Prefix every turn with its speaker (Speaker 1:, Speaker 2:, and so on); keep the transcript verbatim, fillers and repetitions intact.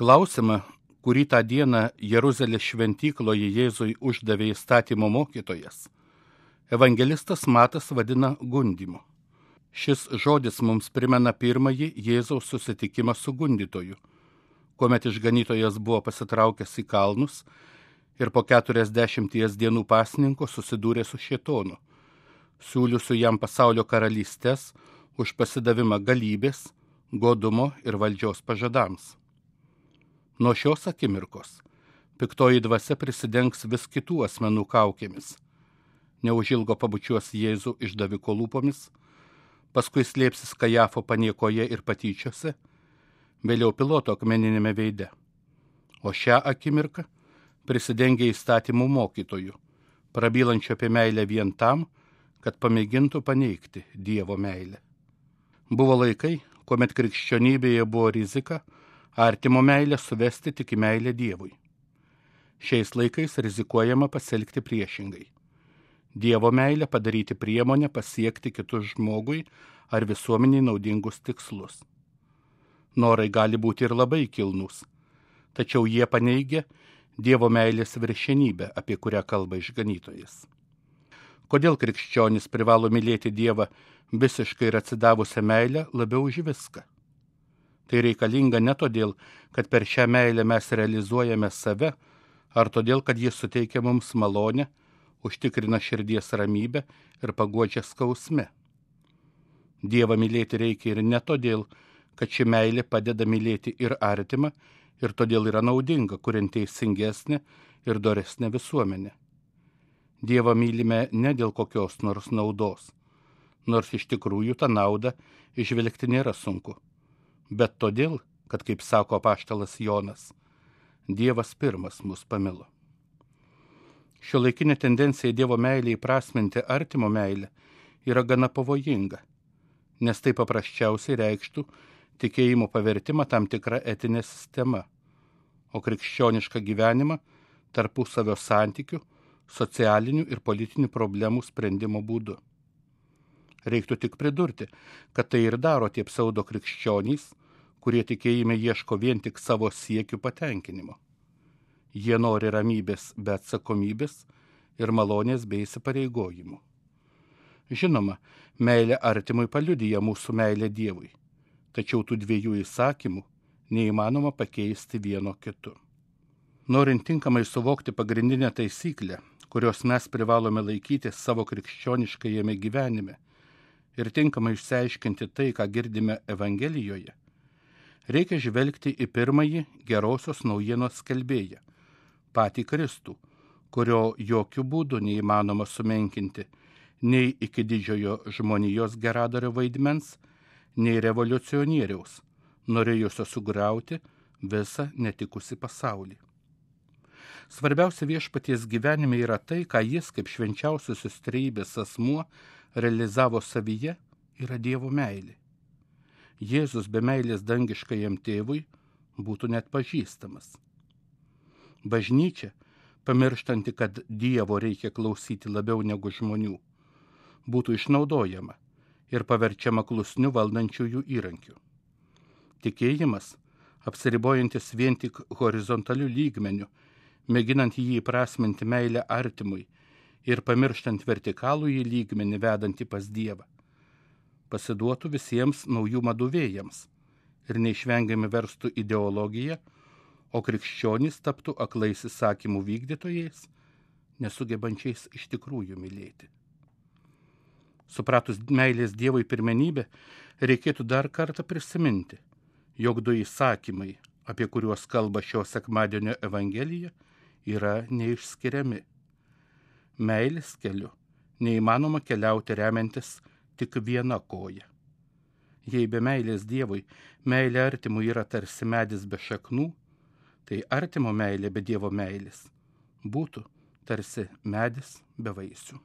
Speaker 1: Klausimą, kurį tą dieną Jeruzalės šventykloje Jėzui uždavė įstatymo mokytojas, evangelistas Matas vadina gundymu. Šis žodis mums primena pirmąjį Jėzaus susitikimą su gundytoju, kuomet išganytojas buvo pasitraukęs į kalnus ir po keturiasdešimties dienų pasninko susidūrė su šėtonu, siūliusiu jam pasaulio karalystės už pasidavimą galybės, godumo ir valdžios pažadams. Nuo šios akimirkos piktoji dvasia prisidengs vis kitų asmenų kaukėmis. Neužilgo pabučiuos Jėzų išdaviko lūpomis, paskui slėpsis Kajafo paniekoje ir patyčiose, vėliau Piloto akmeninėme veide. O šią akimirką prisidengia įstatymų mokytojų, prabylančio apie meilę vien tam, kad pamėgintų paneigti Dievo meilę. Buvo laikai, kuomet krikščionybėje buvo rizika artimo meilę suvesti tik į meilę Dievui. Šiais laikais rizikuojama pasielgti priešingai. Dievo meilę padaryti priemonę pasiekti kitus žmogui ar visuomeniai naudingus tikslus. Norai gali būti ir labai kilnūs, tačiau jie paneigia Dievo meilės viršenybę, apie kurią kalba išganytojas. Kodėl krikščionis privalo mylėti Dievą visiškai ir atsidavusią meilę labiau už viską? Tai reikalinga ne todėl, kad per šią meilę mes realizuojame save, ar todėl, kad jis suteikia mums malonę, užtikrina širdies ramybę ir paguodžia skausme. Dievą mylėti reikia ir ne todėl, kad ši meilė padeda mylėti ir artimą, ir todėl yra naudinga, kuriant teisingesnę ir doresnę visuomenę. Dievą mylime ne dėl kokios nors naudos, nors iš tikrųjų tą naudą išvelgti nėra sunku, bet todėl, kad, kaip sako apaštalas Jonas, Dievas pirmas mus pamilo. Šiuolaikinė tendencija Dievo meilę įprasminti artimo meilę yra gana pavojinga, nes tai paprasčiausiai reikštų tikėjimo pavertimą tam tikrą etinę sistemą, o krikščionišką gyvenimą tarpusavio santykių, socialinių ir politinių problemų sprendimo būdu. Reiktų tik pridurti, kad tai ir daro tie pseudo krikščionys, kurie tikėjime ieško vien tik savo siekių patenkinimo. Jie nori ramybės be atsakomybės ir malonės bei įsipareigojimų. Žinoma, meilė artimui paliudija mūsų meilę Dievui, tačiau tų dviejų įsakymų neįmanoma pakeisti vieno kitu. Norint tinkamai suvokti pagrindinę taisyklę, kurios mes privalome laikyti savo krikščioniškajame gyvenime ir tinkamai išsiaiškinti tai, ką girdime Evangelijoje, reikia žvelgti į pirmąjį gerosios naujienos skelbėją, patį Kristų, kurio jokių būdų neįmanoma sumenkinti nei iki didžiojo žmonijos geradario vaidmens, nei revoliucionieriaus, norėjusio sugriauti visą netikusį pasaulį. Svarbiausia viešpaties gyvenime yra tai, ką jis kaip švenčiausiosios trejybės asmuo realizavo savyje, yra Dievo meilė. Jėzus be meilės dangiškajam tėvui būtų net pažįstamas. Bažnyčia, pamirštanti, kad Dievo reikia klausyti labiau negu žmonių, būtų išnaudojama ir paverčiama klusniu valdančiųjų įrankiu. Tikėjimas, apsiribojantis vien tik horizontaliu lygmeniu, mėginant jį įprasminti meilę artimui ir pamirštant vertikalų į lygmenį vedantį pas Dievą, pasiduotų visiems naujų madų vėjams ir neišvengiamai verstų ideologiją, o krikščionys taptų aklais įsakymų vykdytojais, nesugebančiais iš tikrųjų mylėti. Supratus meilės Dievui pirmenybę, reikėtų dar kartą prisiminti, jog du įsakymai, apie kuriuos kalba šio sekmadienio Evangelija, yra neišskiriami. Meilės keliu neįmanoma keliauti remiantis tik viena koja. Jei be meilės Dievui, meilė artimui yra tarsi medis be šaknų, tai artimo meilė be Dievo meilės būtų tarsi medis be vaisių.